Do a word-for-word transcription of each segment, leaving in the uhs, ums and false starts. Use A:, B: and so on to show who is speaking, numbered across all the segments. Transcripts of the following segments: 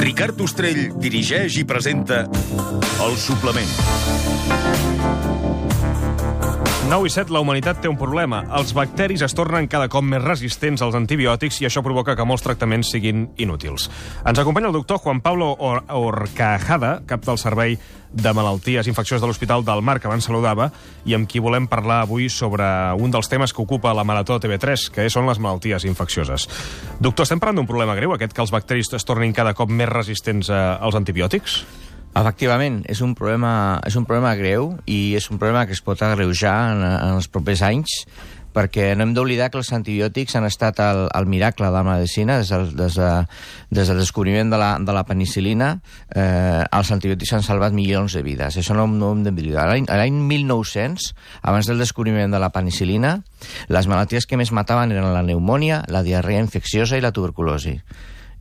A: Ricard Ostrell dirigeix i presenta El Suplement.
B: nou i set, la humanitat té un problema. Els bacteris es tornen cada cop més resistents als antibiòtics i això provoca que molts tractaments siguin inútils. Ens acompanya el doctor Juan Pablo Or Horcajada, cap del Servei de Malalties Infeccioses de l'Hospital del Mar, que abans saludava, i amb qui volem parlar avui sobre un dels temes que ocupa la Marató T V tres, que són les malalties infeccioses. Doctor, estem parlant d'un problema greu, aquest que els bacteris es tornin cada cop més resistents als antibiòtics?
C: Efectivament, és un problema, és un problema greu i és un problema que es pot agreujar en, en els propers anys, perquè no hem d'oblidar que els antibiòtics han estat el, el miracle de la medicina des del, des de, des del descobriment de la, de la penicil·lina. Eh, els antibiòtics han salvat milions de vides. Això no, no ho hem d'oblidar. A l'any mil nou-cents, abans del descobriment de la penicil·lina, les malalties que més mataven eren la pneumònia, la diarrea infecciosa i la tuberculosi.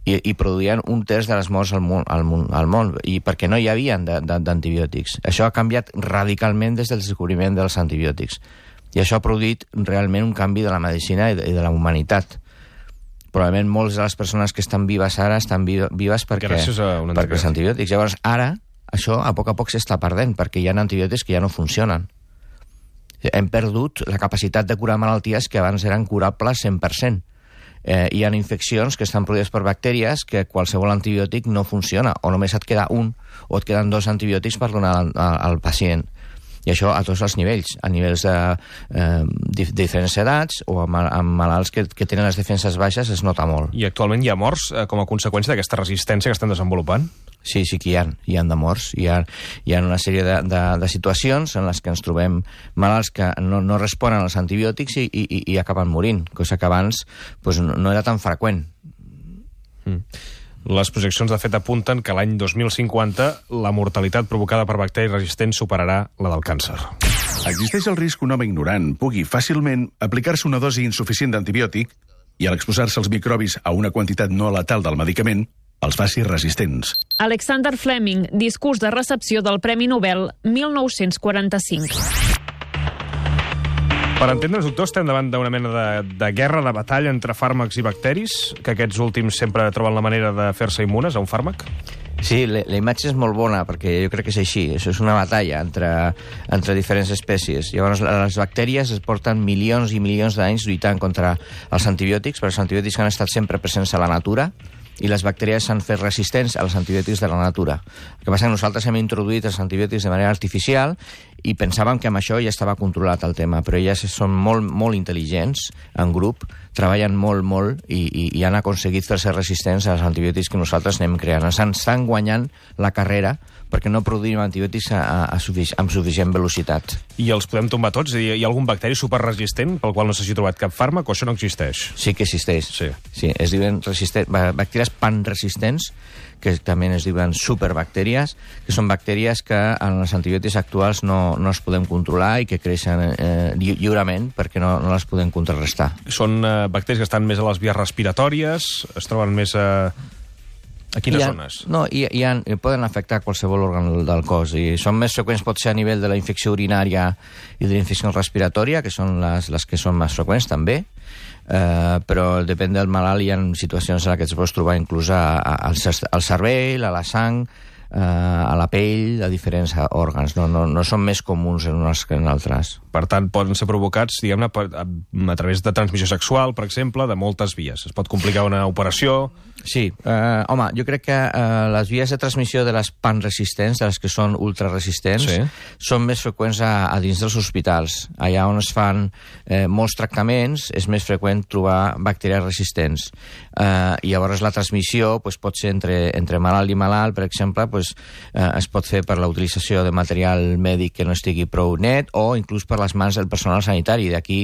C: I, i produïen un terç de les morts al món, al món, al món i perquè no hi havia d'antibiòtics. Això ha canviat radicalment des del descobriment dels antibiòtics. I això ha produït realment un canvi de la medicina i de, i de la humanitat. Probablement moltes de les persones que estan vives ara estan vives perquè, perquè els antibiòtics. Llavors, ara, això a poc a poc s'està perdent, perquè hi ha antibiòtics que ja no funcionen. Hem perdut la capacitat de curar malalties que abans eren curables cent per cent. Eh, hi ha infeccions que estan produïdes per bactèries que qualsevol antibiòtic no funciona, o només et queda un, o et queden dos antibiòtics per donar al, al pacient. I això a tots els nivells, a nivells de, eh, de diferents edats o amb, amb malalts que, que tenen les defenses baixes es nota molt.
B: I actualment hi ha morts eh, com a conseqüència d'aquesta resistència que estan desenvolupant?
C: Sí, sí que hi ha, hi ha de morts. Hi ha, hi ha una sèrie de, de, de situacions en les que ens trobem malalts que no, no responen als antibiòtics i, i, i acaben morint, cosa que abans pues, no, no era tan freqüent.
B: Mm. Les projeccions, de fet, apunten que l'any dos mil cinquanta la mortalitat provocada per bacteris resistents superarà la del càncer.
A: Existeix el risc que un home ignorant pugui fàcilment aplicar-se una dosi insuficient d'antibiòtic i, a l'exposar-se als microbis a una quantitat no letal del medicament, els faci resistents.
D: Alexander Fleming, discurs de recepció del Premi Nobel mil nou-cents quaranta-cinc.
B: Per entendre'ns, doctor, estem davant d'una mena de, de guerra, de batalla entre fàrmacs i bacteris, que aquests últims sempre troben la manera de fer-se immunes a un fàrmac?
C: Sí, la, la imatge és molt bona, perquè jo crec que és així. Això és una batalla entre, entre diferents espècies. Llavors, les bactèries es porten milions i milions d'anys lluitant contra els antibiòtics, perquè els antibiòtics han estat sempre presents a la natura, i les bactèries s'han fet resistents als antibiòtics de la natura. El que passa és que nosaltres hem introduït els antibiòtics de manera artificial i pensàvem que amb això ja estava controlat el tema, però elles són molt, molt intel·ligents en grup, treballen molt, molt i, i, i han aconseguit fer-se resistents als antibiòtics que nosaltres anem creant. Ens estan guanyant la carrera perquè no produïm antibiòtics a, a, a sufic amb suficient velocitat.
B: I els podem tombar tots? Hi ha algun bacteri superresistent pel qual no s'hagi trobat cap fàrmac o això no existeix?
C: Sí que existeix.
B: Sí.
C: Sí, es diuen resistent, bactèries panresistents, que també es diuen superbactèries, que són bactèries que en els antibiòtics actuals no, no es podem controlar i que creixen eh, lli lliurement perquè no, no les podem contrarrestar.
B: Són eh, bacteris que estan més a les vies respiratòries, es troben més a... A quines
C: ha,
B: zones?
C: No, i, i, han, i poden afectar qualsevol òrgan del cos. I són més freqüents, pot ser a nivell de la infecció urinària i de la infecció respiratòria, que són les, les que són més freqüents també, eh, però depèn del malalt. Hi ha situacions en què es pot trobar inclús a, a, al, al cervell, a la sang, eh, a la pell, a diferents òrgans. No, no, no són més comuns en uns que en altres.
B: Per tant, poden ser provocats, diguem-ne, a, a través de transmissió sexual, per exemple, de moltes vies. Es pot complicar una operació...
C: Sí, eh, home, jo crec que eh, les vies de transmissió de les panresistents, de les que són ultraresistents, sí, són més freqüents a, a dins dels hospitals. Allà on es fan eh, molts tractaments és més freqüent trobar bacteris resistents. Eh, I llavors la transmissió pues, pot ser entre, entre malalt i malalt, per exemple, pues, eh, es pot fer per la utilització de material mèdic que no estigui prou net o inclús per les mans del personal sanitari. D'aquí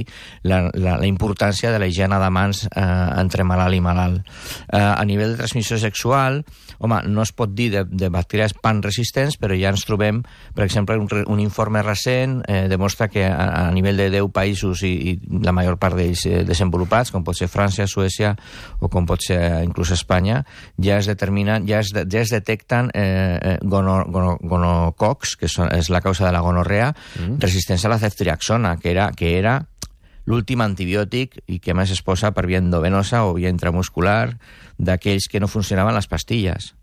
C: la, la, la importància de la higiene de mans eh, entre malalt i malalt. Eh, a nivell de transmissió sexual, home, no es pot dir de, de bacteris panresistents, però ja ens trobem, per exemple, un, un informe recent eh, demostra que a, a nivell de deu països i, i la major part d'ells eh, desenvolupats, com pot ser França, Suècia o com pot ser inclús Espanya, ja es determinen, ja es, ja es detecten eh, gono, gono, gonococs, que són, és la causa de la gonorrea, mm. resistents a la ceftriaxona, que era, que era l'últim antibiòtic i que més es posa per via endovenosa o via intramuscular d'aquells que no funcionaven les pastilles.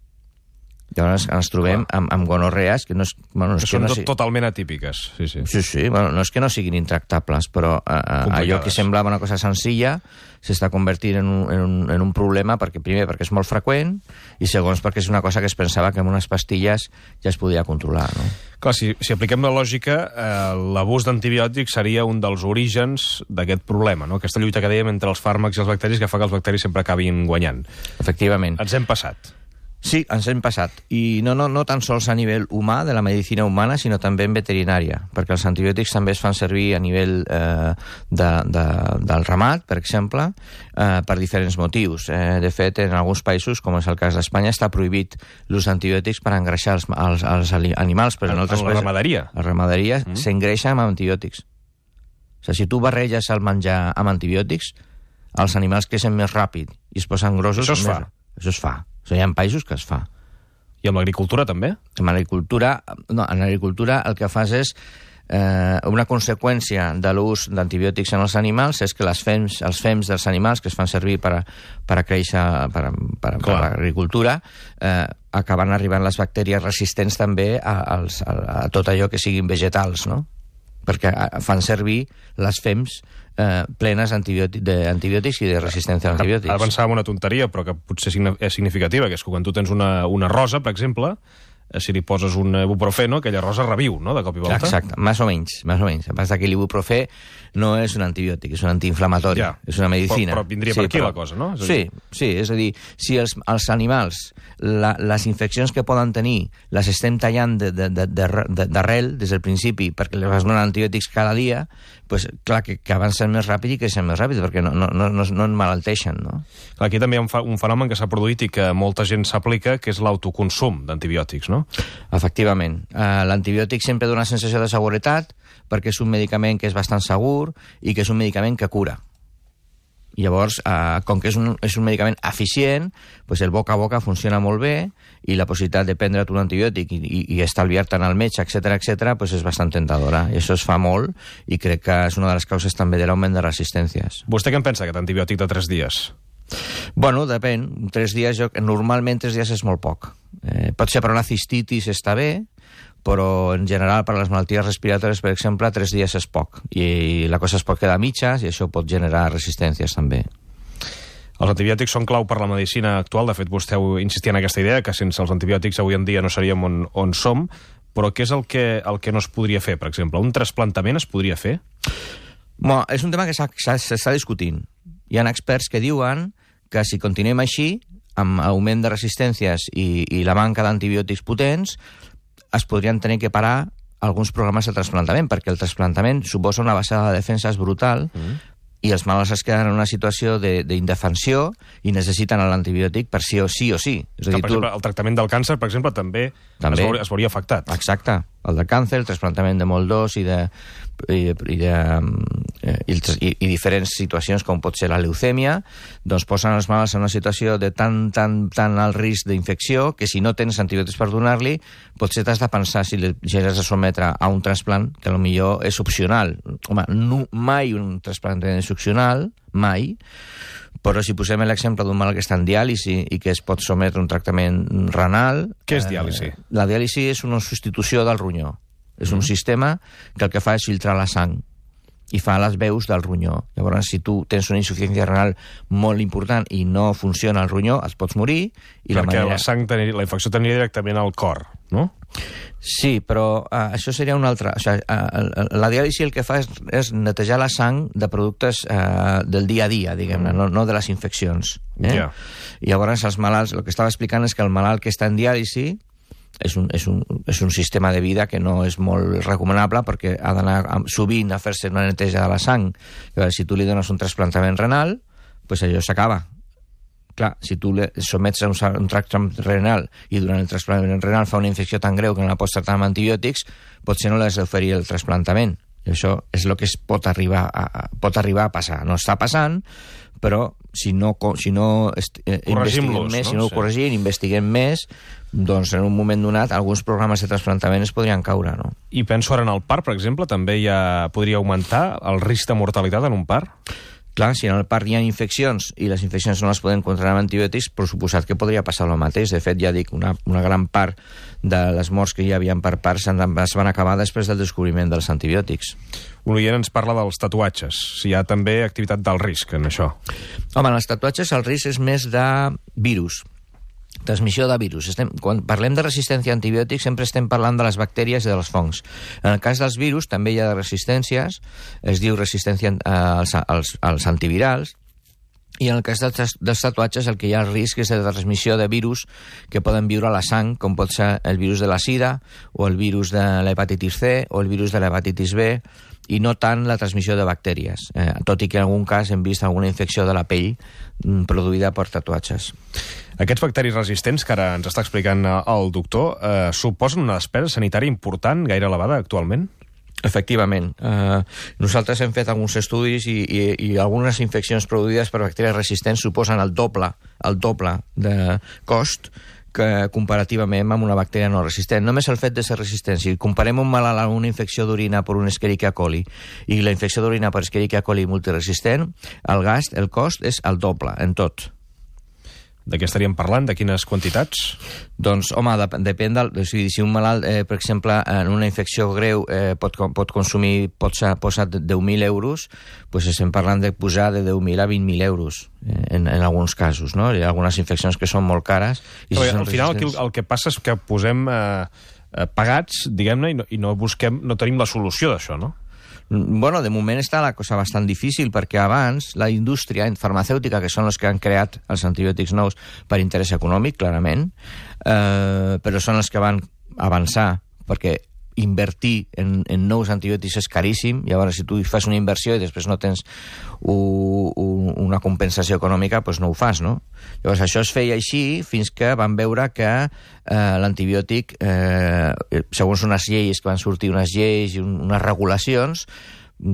C: Llavors ens trobem amb, amb gonorrees que no és... Bueno, no és
B: que són
C: que no
B: si... totalment atípiques. Sí, sí.
C: Sí, sí. Bueno, no és que no siguin intractables, però uh, allò que semblava una cosa senzilla s'està convertint en un, en, un, en un problema, perquè primer perquè és molt freqüent i segons perquè és una cosa que es pensava que amb unes pastilles ja es podia controlar, no?
B: Clar, si, si apliquem la lògica, eh, l'abús d'antibiòtics seria un dels orígens d'aquest problema, no? Aquesta lluita que dèiem entre els fàrmacs i els bacteris que fa que els bacteris sempre acabin guanyant.
C: Efectivament.
B: Ens hem passat.
C: Sí, ens hem passat. I no, no, no tan sols a nivell humà, de la medicina humana, sinó també en veterinària, perquè els antibiòtics també es fan servir a nivell eh, de, de, del ramat, per exemple, eh, per diferents motius. Eh, de fet, en alguns països, com és el cas d'Espanya, està prohibit l'ús d'antibiòtics per engreixar els, els, els animals. Però en,
B: en, en la ramaderia?
C: La ramaderia mm. s'engreixa amb antibiòtics. O sigui, si tu barreges el menjar amb antibiòtics, els animals creixen més ràpid i es posen grossos.
B: Això es
C: més...
B: fa?
C: Això es fa. O sigui, hi ha països que es fa.
B: I amb l'agricultura també?
C: En l'agricultura, no, en l'agricultura el que fas és eh, una conseqüència de l'ús d'antibiòtics en els animals és que les fems, els fems dels animals que es fan servir per a, per a créixer per, per, per l'agricultura eh, acaben arribant les bactèries resistents també a, als, a, a tot allò que siguin vegetals, no? Perquè fan servir les fems eh, plenes d'antibiòtics i de resistència a antibiòtics.
B: Ara pensava en una tonteria, però que potser és significativa, que és que quan tu tens una, una rosa, per exemple, si li poses un ibuprofeno, aquella rosa reviu, no?, de cop i volta.
C: Exacte, més o menys, més o menys. A part que l'ibuprofè no és un antibiòtic, és un antiinflamatori, ja. És una medicina.
B: Però, però vindria sí, per aquí però... la cosa, no? És
C: sí, dir... sí, és a dir, si els, els animals, la, les infeccions que poden tenir, les estem tallant d'arrel de, de, de, des del principi, perquè les vas donar antibiòtics cada dia, pues, clar, que, que avancen més ràpid i creixen més ràpid, perquè no, no, no, no en malalteixen, no?
B: Clar, aquí també hi ha un, fa, un fenomen que s'ha produït i que molta gent s'aplica, que és l'autoconsum d'antibiòtics, no?
C: Efectivament. Uh, l'antibiòtic sempre dona sensació de seguretat perquè és un medicament que és bastant segur i que és un medicament que cura. I llavors, uh, com que és un, és un medicament eficient, pues el boca a boca funciona molt bé i la possibilitat de prendre't un antibiòtic i, i, i estalviar-te'n al metge, etcètera, etcètera, pues és bastant tentadora. I això es fa molt i crec que és una de les causes també de l'augment de resistències.
B: Vostè què en pensa, aquest antibiòtic de tres dies?
C: Bueno, depèn. Tres dies, jo, normalment tres dies és molt poc. Eh, pot ser per una cistitis està bé, però en general per a les malalties respiratòries, per exemple, tres dies és poc. I la cosa es pot quedar a mitges i això pot generar resistències també.
B: Els antibiòtics són clau per la medicina actual. De fet, vostè insistia en aquesta idea que sense els antibiòtics avui en dia no seríem on, on som. Però què és el que, el que no es podria fer, per exemple? Un trasplantament es podria fer?
C: Bueno, és un tema que s'està discutint. Hi ha experts que diuen que si continuem així, amb augment de resistències i, i la manca d'antibiòtics potents, es podrien tenir que parar alguns programes de trasplantament, perquè el trasplantament suposa una baixada de defenses brutal mm. i els malalts es queden en una situació d'indefensió i necessiten l'antibiòtic per sí o sí o sí. És a dir,
B: per exemple, el tractament del càncer, per exemple, també, també es, veuria, es veuria afectat.
C: Exacte. El del càncer, el trasplantament de molt d'os i de, i, i, de, i, i, i diferents situacions com pot ser la leucèmia, doncs posen els malalts en una situació de tan, tan, tan alt risc d'infecció que si no tens antibiòtics per donar-li, potser t'has de pensar si li has de sometre a un trasplant que potser és opcional. Home, no, mai un trasplantament és opcional, mai, però si posem l'exemple d'un malalt que està en diàlisi i que es pot sometre a un tractament renal...
B: Què és diàlisi?
C: Eh, la diàlisi és una substitució del ronyó. És un mm. sistema que el que fa és filtrar la sang i fa les veus del ronyó. Llavors, si tu tens una insuficiència renal molt important i no funciona el ronyó, et pots morir. I
B: Perquè la,
C: manera...
B: la, sang tenia, la infecció tenia directament al cor, no?
C: Sí, però uh, això seria una altra... O sigui, uh, la diàlisi el que fa és, és netejar la sang de productes uh, del dia a dia, diguem-ne, no, no de les infeccions. Eh? Yeah. I llavors els malalts... El que estava explicant és que el malalt que està en diàlisi és un, és, un, és un sistema de vida que no és molt recomanable perquè ha d'anar sovint a fer-se una neteja de la sang. Llavors, si tu li dones un trasplantament renal, pues allò s'acaba. Clar, si tu le somets a un, un tractament renal i durant el trasplantament renal fa una infecció tan greu que no la pots tractar amb antibiòtics, potser no l'has d'oferir el trasplantament. I això és el que es pot arribar a, pot arribar a passar. No està passant, però si no, si no eh, investiguem més, no? si no ho sí. corregim, investiguem més, doncs en un moment donat alguns programes de trasplantament es podrien caure, no?
B: I penso ara en el part, per exemple, també ja podria augmentar el risc de mortalitat en un part?
C: Clar, si en el parc hi ha infeccions i les infeccions no les poden controlar amb antibiòtics, per suposat que podria passar el mateix. De fet, ja dic, una, una gran part de les morts que hi havia per parts es van acabar després del descobriment dels antibiòtics.
B: Un oient ens parla dels tatuatges. Si hi ha també activitat d'alt risc en això.
C: Home, en els tatuatges el risc és més de virus, transmissió de virus. Estem, quan parlem de resistència a antibiòtics sempre estem parlant de les bactèries i dels fongs. En el cas dels virus també hi ha resistències, es diu resistència als, als, als antivirals, i en el cas dels, dels tatuatges el que hi ha el risc és de transmissió de virus que poden viure a la sang, com pot ser el virus de la sida, o el virus de l'hepatitis C, o el virus de l'hepatitis B, i no tant la transmissió de bactèries, eh, tot i que en algun cas hem vist alguna infecció de la pell mm, produïda per tatuatges.
B: Aquests bacteris resistents que ara ens està explicant el doctor eh, suposen una despesa sanitària important, gaire elevada actualment?
C: Efectivament. Eh, nosaltres hem fet alguns estudis i, i, i algunes infeccions produïdes per bacteris resistents suposen el doble, el doble de cost que comparativament amb una bactèria no resistent. Només el fet de ser resistent. Si comparem un malalt amb una infecció d'orina per un Escherichia coli i la infecció d'orina per Escherichia coli multiresistent, el gast, el cost és el doble en tot.
B: De què estaríem parlant? De quines quantitats?
C: Doncs, home, dep depèn del... O sigui, si un malalt, eh, per exemple, en una infecció greu eh, pot, pot consumir, pot posar deu mil euros, doncs estem parlant de posar de deu mil a vint mil euros, eh, en, en alguns casos, no? Hi ha algunes infeccions que són molt cares. I
B: Però,
C: si
B: al final el que, el que passa és que posem eh, eh, pagats, diguem-ne, i, no, i no busquem, no tenim la solució d'això, no?
C: Bueno, de moment està la cosa bastant difícil perquè abans la indústria farmacèutica, que són els que han creat els antibiòtics nous per interès econòmic, clarament, eh, però són els que van avançar perquè invertir en, en nous antibiòtics és caríssim. Llavors, si tu fas una inversió i després no tens u, u, una compensació econòmica, doncs no ho fas, no? Llavors, això es feia així fins que van veure que eh, l'antibiòtic, eh, segons unes lleis que van sortir, unes lleis i un, unes regulacions,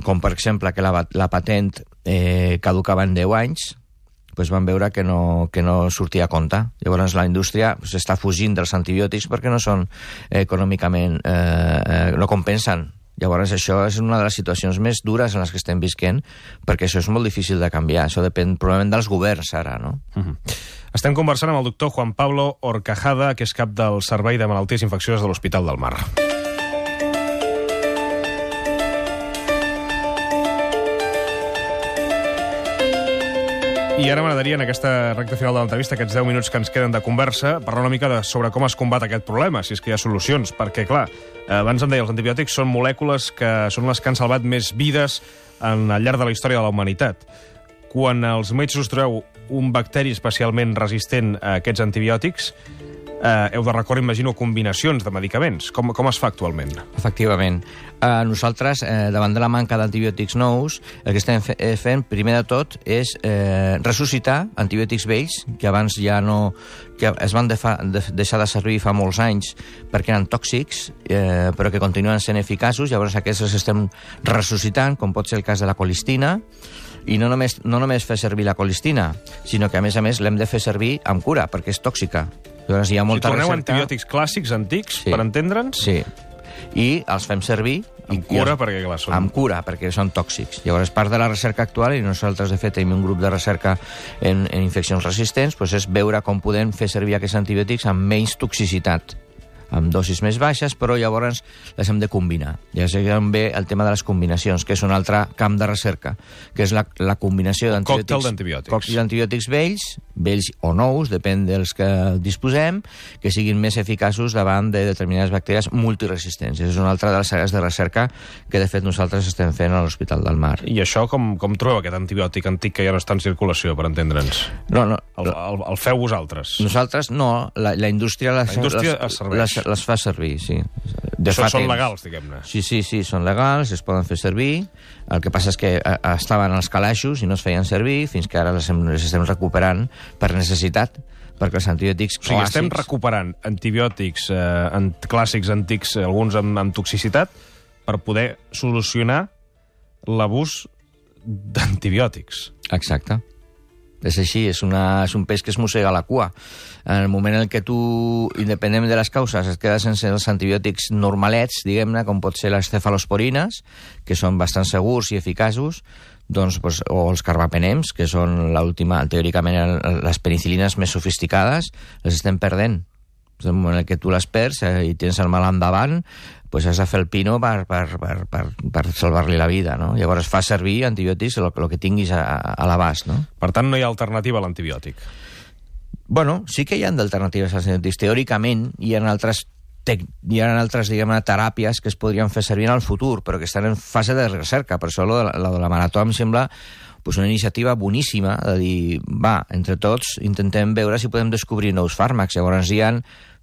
C: com per exemple que la, la patent eh, caducava en deu anys, pues van veure que no, que no sortia a compte. Llavors la indústria pues, està fugint dels antibiòtics perquè no són eh, econòmicament, eh, eh, no compensen. Llavors això és una de les situacions més dures en les que estem visquent, perquè això és molt difícil de canviar. Això depèn probablement dels governs ara, no?
B: Uh-huh. Estem conversant amb el doctor Juan Pablo Horcajada, que és cap del Servei de Malalties Infeccioses de l'Hospital del Mar. I ara m'agradaria, en aquesta recta final de l'entrevista, aquests deu minuts que ens queden de conversa, parlar una mica de, sobre com es combat aquest problema, si és que hi ha solucions, perquè, clar, abans em deia, els antibiòtics són molècules que són les que han salvat més vides en, al llarg de la història de la humanitat. Quan els metges us trobeu un bacteri especialment resistent a aquests antibiòtics, eh, heu de recórrer, imagino, combinacions de medicaments. Com, com es fa actualment?
C: Efectivament. Eh, nosaltres, eh, davant de la manca d'antibiòtics nous, el que estem fe fent, primer de tot, és eh, ressuscitar antibiòtics vells, que abans ja no... que es van de fa, de, deixar de servir fa molts anys perquè eren tòxics, eh, però que continuen sent eficaços. Llavors aquests els estem ressuscitant, com pot ser el cas de la colistina, i no només, no només fer servir la colistina, sinó que, a més a més, l'hem de fer servir amb cura, perquè és tòxica. Llavors hi ha molta
B: si torneu
C: recerca...
B: antibiòtics clàssics, antics,
C: sí,
B: per entendre'ns?
C: Sí. I els fem servir...
B: Amb cura,
C: els...
B: perquè clar, són...
C: Amb cura, perquè són tòxics. Llavors, part de la recerca actual, i nosaltres, de fet, tenim un grup de recerca en, en infeccions resistents, doncs és veure com podem fer servir aquests antibiòtics amb menys toxicitat, amb dosis més baixes, però llavors les hem de combinar. Ja sé també el tema de les combinacions, que és un altre camp de recerca, que és la, la combinació d'antibiòtics.
B: Còctel d'antibiòtics.
C: Còctel d'antibiòtics vells, vells o nous, depèn dels que disposem, que siguin més eficaços davant de determinades bactèries multiresistents. És una altra de les àrees de recerca que, de fet, nosaltres estem fent a l'Hospital del Mar.
B: I això, com, com trobeu aquest antibiòtic antic que ja no està en circulació, per entendre'ns?
C: No, no.
B: El, el, el feu vosaltres?
C: Nosaltres no, la, la indústria les,
B: la indústria
C: les,
B: es serveix.
C: Les, les fa servir, sí. De
B: Això
C: fa
B: són
C: temps.
B: legals, diguem-ne.
C: Sí, sí, sí, són legals, es poden fer servir. El que passa és que eh, estaven als calaixos i no es feien servir, fins que ara les, hem, les estem recuperant per necessitat, perquè els antibiòtics
B: clàssics... O sigui,
C: clàssics...
B: estem recuperant antibiòtics eh, ant clàssics antics, alguns amb, amb toxicitat, per poder solucionar l'abús d'antibiòtics.
C: Exacte. És així, és, una, és un peix que es mossega la cua. En el moment en què tu, independentment de les causes, et quedes sense els antibiòtics normalets, diguem-ne, com pot ser les cefalosporines, que són bastant segurs i eficaços, doncs, doncs, o els carbapenems, que són l'última, teòricament, les penicilines més sofisticades, les estem perdent. En el moment en què tu les perds eh, i tens el mal endavant, doncs has de fer el pino per, per, per, per, per salvar-li la vida, no? Llavors fa servir antibiòtics el, el que tinguis a, a l'abast, no?
B: Per tant, no hi ha alternativa a l'antibiòtic.
C: Bueno, sí que hi ha d'alternatives als antibiòtics. Teòricament hi ha altres, tec... hi ha altres diguem-ne, teràpies que es podrien fer servir en el futur, però que estan en fase de recerca. Per això la, la de la Marató em sembla pues, una iniciativa boníssima de dir, va, entre tots intentem veure si podem descobrir nous fàrmacs. Llavors hi ha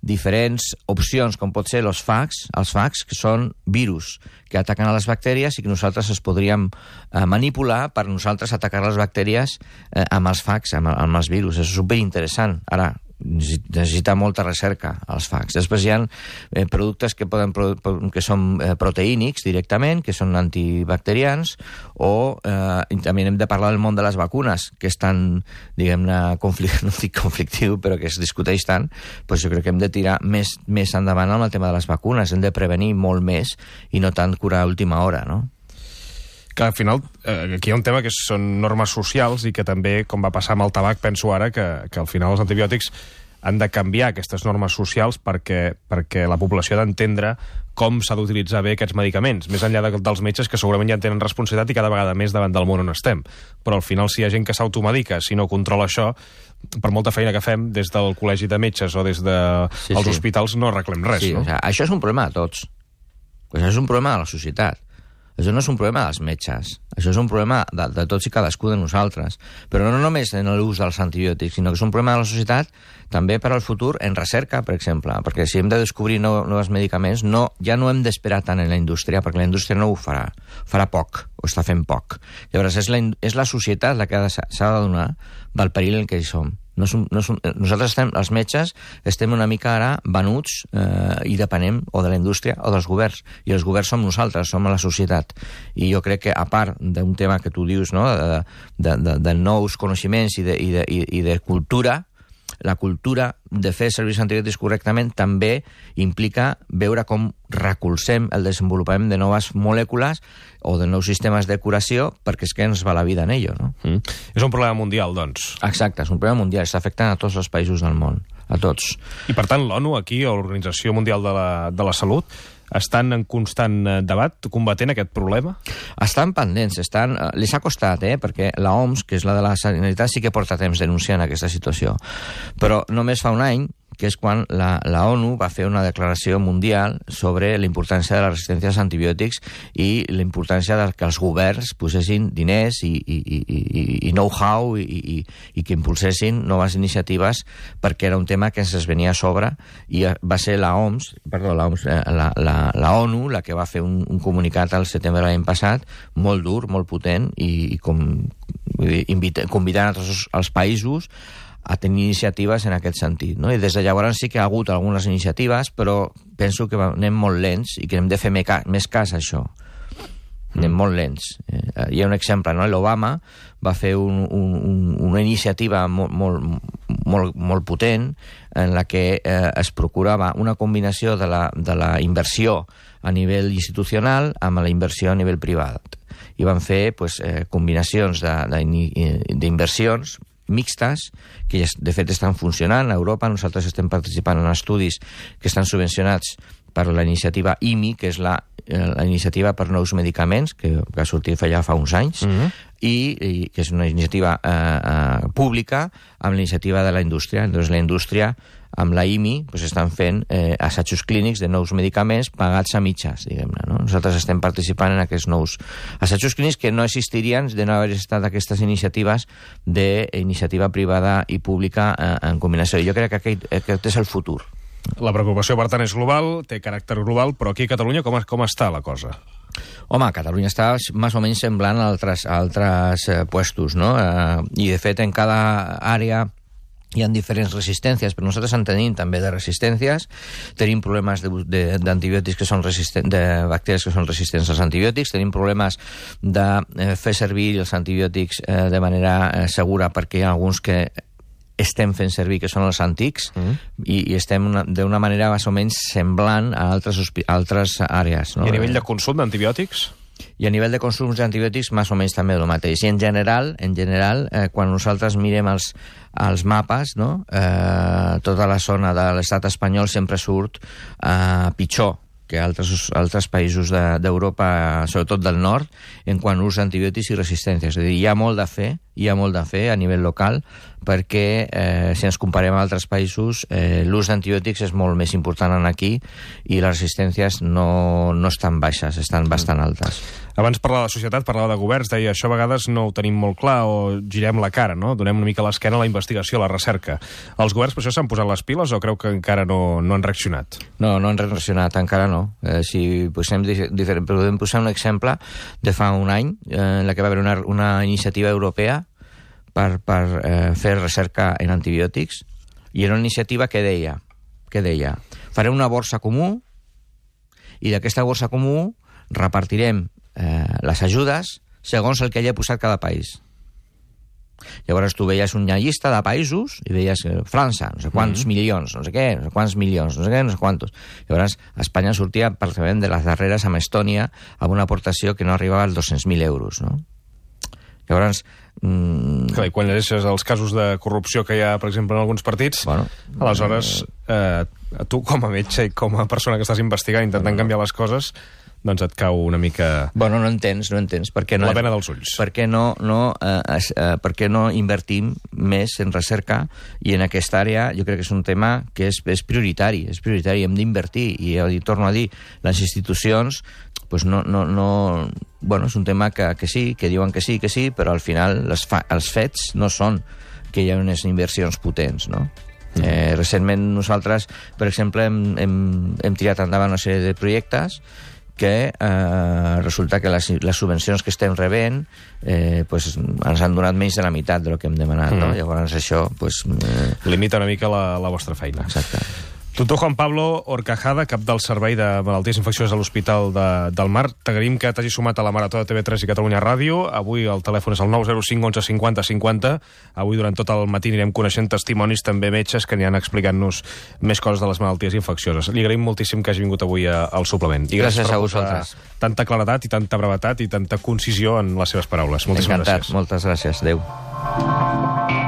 C: diferents opcions, com pot ser els fags, els fags, que són virus que ataquen a les bactèries i que nosaltres es podríem eh, manipular per nosaltres atacar les bactèries eh, amb els fags, amb, amb els virus. És superinteressant. Ara, necessita molta recerca, els fags. Després hi ha eh, productes que, poden, que són eh, proteínics directament, que són antibacterians, o eh, també hem de parlar del món de les vacunes, que és tan, diguem-ne, conflict, no dic conflictiu, però que es discuteix tant, doncs jo crec que hem de tirar més, més endavant amb el tema de les vacunes. Hem de prevenir molt més i no tant curar a última hora, no?
B: Que al final, eh, aquí hi ha un tema que són normes socials i que també, com va passar amb el tabac, penso ara que, que al final els antibiòtics han de canviar aquestes normes socials perquè, perquè la població ha d'entendre com s'ha d'utilitzar bé aquests medicaments, més enllà de, dels metges que segurament ja en tenen responsabilitat i cada vegada més davant del món on estem. Però al final, si hi ha gent que s'automedica, si no controla això, per molta feina que fem des del col·legi de metges o des dels de sí, sí. hospitals no arreglem res.
C: Sí,
B: no?
C: O sigui, això és un problema de tots. Això és un problema de la societat. Això no és un problema dels metges, això és un problema de, de tots i cadascú de nosaltres. Però no només en l'ús dels antibiòtics, sinó que és un problema de la societat també per al futur en recerca, per exemple, perquè si hem de descobrir nou, nous medicaments, no, ja no hem d'esperar tant en la indústria, perquè la indústria no ho farà, farà poc, o està fent poc. Llavors és la, és la societat la que s'ha de donar del perill en què hi som. No és un, no és un, nosaltres estem, els metges, estem una mica ara venuts eh, i depenem o de la indústria o dels governs. I els governs som nosaltres, som la societat. I jo crec que, a part d'un tema que tu dius, no?, de, de, de, de nous coneixements i de, i, de, i, i de cultura, la cultura de fer servir antibiòtics correctament també implica veure com recolzem el desenvolupament de noves molècules o de nous sistemes de curació, perquè és que ens va la vida en ello, no?
B: Mm. És un problema mundial, doncs.
C: Exacte, és un problema mundial, està afectant a tots els països del món, a tots.
B: I per tant l'ONU aquí, o l'Organització Mundial de la, de la Salut, estan en constant debat combatent aquest problema?
C: Estan pendents, estan... les ha costat, eh? Perquè la O M S, que és la de la Sanitat, sí que porta temps denunciant aquesta situació. Però només fa un any, que és quan la, la ONU va fer una declaració mundial sobre la importància de la resistència als antibiòtics i la importància de que els governs posessin diners i, i, i, i, i know-how i, i, i que impulsessin noves iniciatives, perquè era un tema que ens es venia a sobre, i va ser la O M S, perdó, la, O M S, la, la, la ONU la que va fer un, un comunicat al setembre de l'any passat, molt dur, molt potent, i, i com, invita, convidant a tots els països a tenir iniciatives en aquest sentit, no? I des de llavors sí que ha hagut algunes iniciatives, però penso que anem molt lents i que hem de fer més cas a això. Anem mm. molt lents. Eh, hi ha un exemple, no? L'Obama va fer un, un, una iniciativa molt, molt, molt, molt potent en la que eh, es procurava una combinació de la, de la inversió a nivell institucional amb la inversió a nivell privat. I van fer pues, eh, combinacions d'inversions mixtes, que de fet estan funcionant a Europa. Nosaltres estem participant en estudis que estan subvencionats per la iniciativa I M I, que és la, la iniciativa per nous medicaments, que va sortir ja fa uns anys, mm-hmm. i, i que és una iniciativa eh, eh, pública amb la iniciativa de la indústria. Llavors la indústria amb la I M I pues, estan fent eh, assajos clínics de nous medicaments pagats a mitges, diguem-ne, no? Nosaltres estem participant en aquests nous assajos clínics que no existirien de no haver estat aquestes iniciatives d'iniciativa privada i pública eh, en combinació. Jo crec que aquest, aquest és el futur.
B: La preocupació, per tant, és global, té caràcter global, però aquí a Catalunya com, com està la cosa?
C: Home, Catalunya està més o menys semblant a altres, a altres eh, puestos, no? Eh, I, de fet, en cada àrea hi ha diferents resistències, però nosaltres en tenim també de resistències. Tenim problemes d'antibiòtics que són resistents, de bacteris que són resistents als antibiòtics, tenim problemes de eh, fer servir els antibiòtics eh, de manera eh, segura, perquè hi ha alguns que estem fent servir, que són els antics, mm. i, i estem d'una manera més o menys semblant a altres, a altres àrees. No?
B: I a nivell de consum d'antibiòtics?
C: I a nivell de consums d'antibiòtics, més o menys també el mateix. I en general, en general eh, quan nosaltres mirem els, els mapes, no? eh, tota la zona de l'estat espanyol sempre surt eh, pitjor que altres, altres països d'Europa, de, sobretot del nord, en quant a ús d'antibiòtics i resistències. És a dir, hi ha molt de fer, hi ha molt de fer a nivell local, perquè eh, si ens comparem a altres països, eh, l'ús d'antibiòtics és molt més important aquí i les resistències no, no estan baixes, estan bastant altes.
B: Abans parlava de societat, parlava de governs, deia això a vegades no ho tenim molt clar o girem la cara, no? Donem una mica l'esquena a la investigació, a la recerca. Els governs per això s'han posat les piles o creu que encara no, no han reaccionat?
C: No, no han reaccionat, encara no. Eh, si posem diferent, podem posar un exemple de fa un any, eh, en la que va haver una, una iniciativa europea per, per eh, fer recerca en antibiòtics, i era una iniciativa que deia, que deia farem una borsa comú i d'aquesta borsa comú repartirem eh, les ajudes segons el que hagi posat cada país. Llavors tu veies una llista de països i veies que França, no sé quants mm-hmm. milions, no sé què, no sé quants milions, no sé què, no sé quantos. Llavors Espanya sortia pràcticament de les darreres amb Estònia amb una aportació que no arribava als dos-cents mil euros, no? Llavors... Mm...
B: Clar, i quan llegeixes els casos de corrupció que hi ha, per exemple, en alguns partits, bueno, aleshores, eh, tu com a metge i com a persona que estàs investigant, intentant canviar les coses, doncs et cau una mica...
C: Bueno, no entens, no entens. Per què no,
B: la pena dels ulls.
C: Per què no, no, eh, eh, per què no invertim més en recerca? I en aquesta àrea jo crec que és un tema que és, és prioritari, és prioritari, hem d'invertir. I, i torno a dir, les institucions, pues no, no, no... Bueno, és un tema que, que sí, que diuen que sí, que sí, però al final les fa, els fets no són que hi ha unes inversions potents, no? Mm. Eh, recentment nosaltres, per exemple, hem, hem, hem tirat endavant una sèrie de projectes que eh, resulta que les, les subvencions que estem rebent eh, pues, ens han donat menys de la meitat del que hem demanat, mm. no? Llavors això... Pues, eh...
B: limita una mica la, la vostra feina.
C: Exacte.
B: Doctor Juan Pablo Horcajada, cap del Servei de Malalties Infeccioses a l'Hospital de, del Mar. T'agraïm que t'hagi sumat a la Marató de T V tres i Catalunya Ràdio. Avui el telèfon és el nou zero cinc onze cinquanta cinquanta. Avui durant tot el matí anirem coneixent testimonis, també metges, que aniran explicant-nos més coses de les malalties infeccioses. Li agraïm moltíssim que hagi vingut avui a, al suplement. I
C: gràcies, gràcies a vosaltres.
B: Tanta claredat i tanta brevetat i tanta concisió en les seves paraules. Moltíssimes
C: gràcies.
B: Encantat,
C: moltes gràcies. Adéu.